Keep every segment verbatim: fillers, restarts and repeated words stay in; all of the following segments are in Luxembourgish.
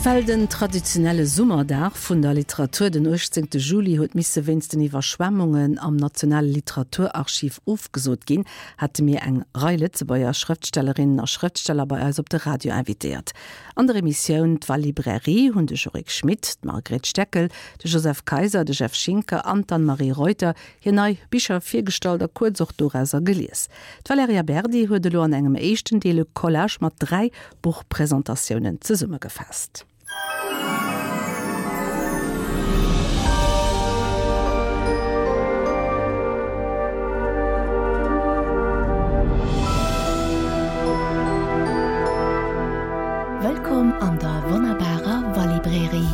Well den traditionelle Summerdag vun der Literatur den uechtzéngte Juli huet misse wéinst den Iwwerschwemmungen am Nationale Literaturarchiv ofgesot ginn, hate mir eng Rei Lëtzebuerger Schrëftstellerinnen a Schrëftsteller bei eis op de Radio invitéiert. An der Emissioun D'Walibrairie hunn de Jorik Schmit, d'Margret Steckel, de Joseph Kayser, de Jeff Schinker an d'Anne-Marie Reuter hir nei Bicher virgestallt a kuerz och dorauser gelies. D'Valerija Berdi huet elo an engem éischten Deel e Collage mat dräi Buchpresentatiounen zesummegefaasst. Wëllkomm an der wonnerbarer Walibrairie.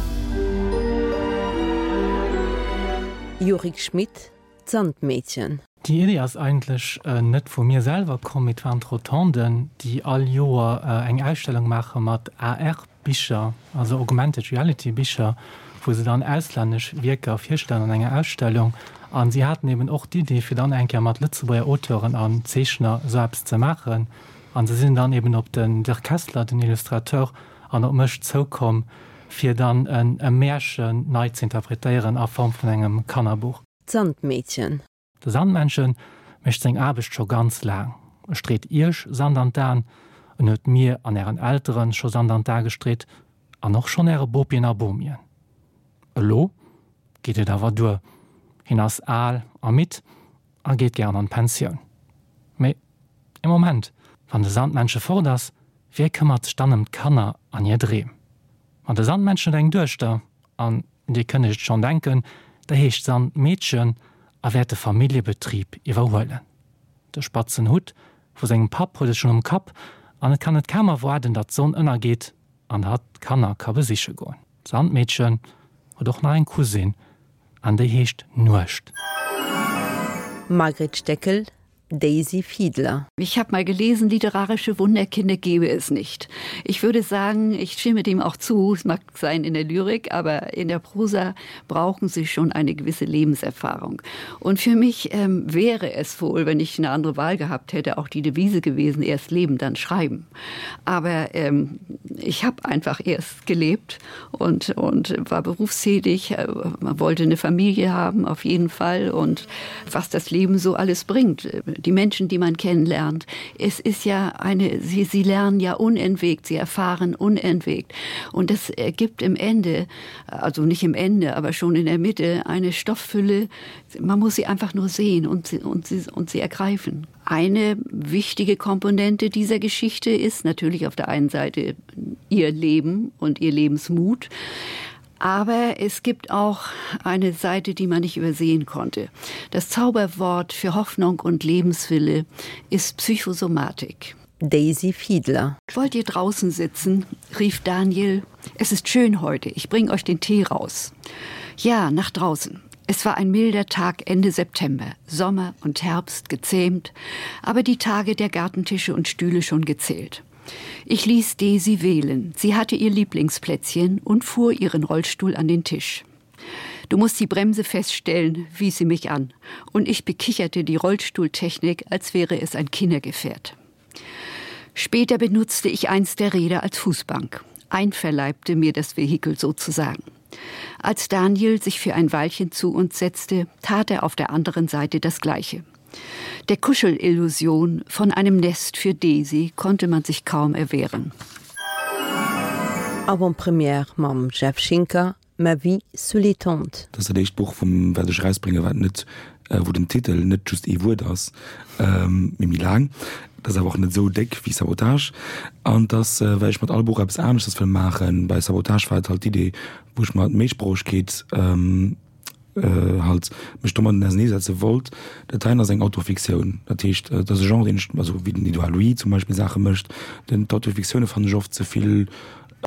Jorik Schmit, D'Sandmädchen. Déi Iddi ass eigentlech net vu mir selwer komm, mee et waren d'Rotonden, déi all Joer eng Ausstellung maache mat A R-Bicher, also Augmented Reality Bicher, wou se dann auslännesch Wierker virstellen an enger Ausstellung. An si haten eben och d'Iddi, fir dann eng Kéier mat Lëtzebuerger Auteuren an Zeechner esou eppes ze maachen. An se sinn dann eben op den Dirk Kessler, den Illustrateur, an op mech zoukomm, fir dann e Märchen nei ze interpretéieren a Form vun engem Kannerbuch. D'Sandmädchen. De Sandmännchen mécht seng Aarbecht scho ganz laang. E street iech Sand an d'Aen, en huet mir an ären Elteren scho Sand an d'A gestreet an och schonn äre Bopien a Bomien. Elo geet et awer duer, hien ass al a midd a geet gären an d'Pensioun. Mee ee Moment, wann de Sandmännche fort ass, wie këmmert sech dann ëm d'Kanner an hir Dreem? Ma de Sandmännchen huet eng Duechter an, dir kënnt iech et schonn denken, déi heescht Sandmeedchen a wäert de Familljebetrib iwwerhuelen. De spatzen Hutt vu sengem Papp huet e schonn um Kapp an et kann et kaum erwaarden, datt d'Sonn ënnergeet an hatt d'Kanner ka besiche goen. D'Sandmeedchen huet och nach eng Cousine an déi heescht Nuecht. Margret Steckel, Daisy Fiedler. Ich habe mal gelesen, literarische Wunderkinder gäbe es nicht. Ich würde sagen, ich stimme dem auch zu, es mag sein in der Lyrik, aber in der Prosa brauchen sie schon eine gewisse Lebenserfahrung. Und für mich ähm, wäre es wohl, wenn ich eine andere Wahl gehabt hätte, auch die Devise gewesen, erst leben, dann schreiben. Aber ähm, ich habe einfach erst gelebt und, und war berufstätig, äh, man wollte eine Familie haben auf jeden Fall und was das Leben so alles bringt, die Menschen, die man kennenlernt. Es ist ja eine sie, sie lernen ja unentwegt, sie erfahren unentwegt. Und das ergibt im Ende, also nicht im Ende, aber schon in der Mitte eine Stofffülle. Man muss sie einfach nur sehen und sie, und sie, und sie ergreifen. Eine wichtige Komponente dieser Geschichte ist natürlich auf der einen Seite ihr Leben und ihr Lebensmut. Aber es gibt auch eine Seite, die man nicht übersehen konnte. Das Zauberwort für Hoffnung und Lebenswille ist Psychosomatik. Daisy Fiedler. Wollt ihr draußen sitzen? rief Daniel. Es ist schön heute. Ich bring euch den Tee raus. Ja, nach draußen. Es war ein milder Tag Ende September, Sommer und Herbst gezähmt, aber die Tage der Gartentische und Stühle schon gezählt. Ich ließ Daisy wählen. Sie hatte ihr Lieblingsplätzchen und fuhr ihren Rollstuhl an den Tisch. Du musst die Bremse feststellen, wies sie mich an, und ich bekicherte die Rollstuhltechnik, als wäre es ein Kindergefährt. Später benutzte ich eins der Räder als Fußbank, einverleibte mir das Vehikel sozusagen. Als Daniel sich für ein Weilchen zu uns setzte, tat er auf der anderen Seite das Gleiche. Der Kuschelillusion von einem Nest für Daisy konnte man sich kaum erwehren. Avant-première mam Jeff Schinker, Ma vie sous les tentes. Dat ass dat éischt Buch vum wat ech erausbréngen, wat net, wou den Titel net just ee Wuert ass, mee méi laang. Dat ass awer och net esou déck wéi Sabotage. An et ass, well ech mat all Buch eppes aneschters wëll maachen. Bei Sabotage war et halt d'Idee, wou ech mer d'Méisproochegkeet halt mech domadden auserneesetze wollt. Dat heien ass eng Autofiktioun. Dat heescht, et ass e Genre, deen ech, also wéi den Edouard Louis zum Beispill Saache mécht. Den, d'Autofiktioune fannen ech oft ze vill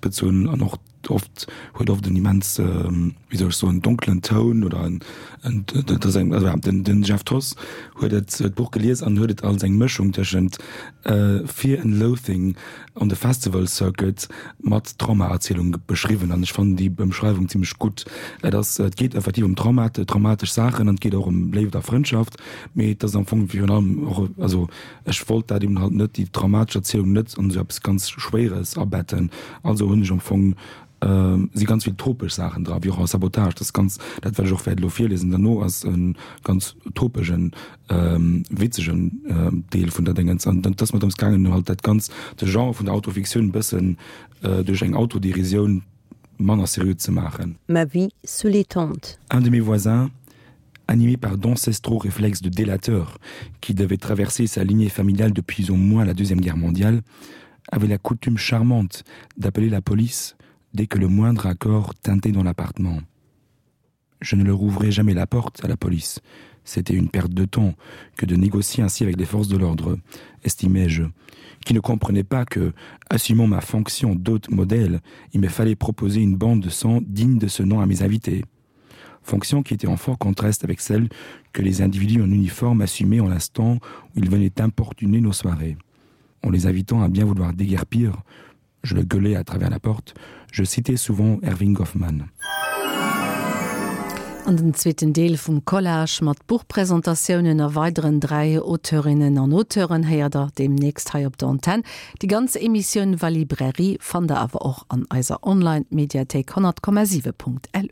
bezunn an och oft huet oft en immens, wéi soll ech soen, donkelen Toun oder en, en, dat ass eng, also ja, den, den Jeff Thoss huet et, d'Buch gelies an huet et als eng Mëschung tëschent Fear and Loathing on the Festival Circuit mat Traumaerzielung beschriwwen an ech fannen déi Ëmschreiwung zimmlech gutt. Et ass, et geet effektiv ëm Traumate, traumatesch Saachen an et geet och ëm Léift a Frëndschaft, mee et ass am Fong virun allem och, also ech wollt dat eben halt net, déi traumatesch Erzielung net an esou eppes ganz Schwéieres abetten, also hunn ech am Fong Si ganz vill tropesch Saachen dra, wéi och a Sabotage, dat ass ganz, dat wat ech och wäert elo virliesen derno, ass e ganz topegen, witzegen Deel vun der Déngens. An et ass mer drëms gaangen, halt dat Ganzt, de Genre vun der Autofiktioun e bëssen duerch eng Autoderisioun manner seriö ze maachen. Ma vie sous les tentes. Un de mes voisins, animé par d'ancestraux réflexes de délateur qui devaient traverser sa lignée familiale depuis au moins la Deuxième Guerre mondiale, avait la coutume charmante d'appeler la police dès que le moindre accord tintait dans l'appartement. Je ne leur ouvrais jamais la porte à la police. C'était une perte de temps que de négocier ainsi avec les forces de l'ordre, estimais-je, qui ne comprenait pas que, assumant ma fonction d'hôte modèle, il me fallait proposer une bande de sang digne de ce nom à mes invités. Fonction qui était en fort contraste avec celle que les individus en uniforme assumaient en l'instant où ils venaient importuner nos soirées. En les invitant à bien vouloir déguerpir, je le gueulais à travers la porte, je citais souvent Erving Goffman. An den zweeten Deel vum Collage mat Buchpresentatiounen a weideren dräi Auteurinnen an Auteuren héiert der deemnächst hei op der Antenn. Déi ganz Emissioun Valibrairie fannt der awer och an eiser Online-Mediathéik honnert Komma siwe Punkt lu.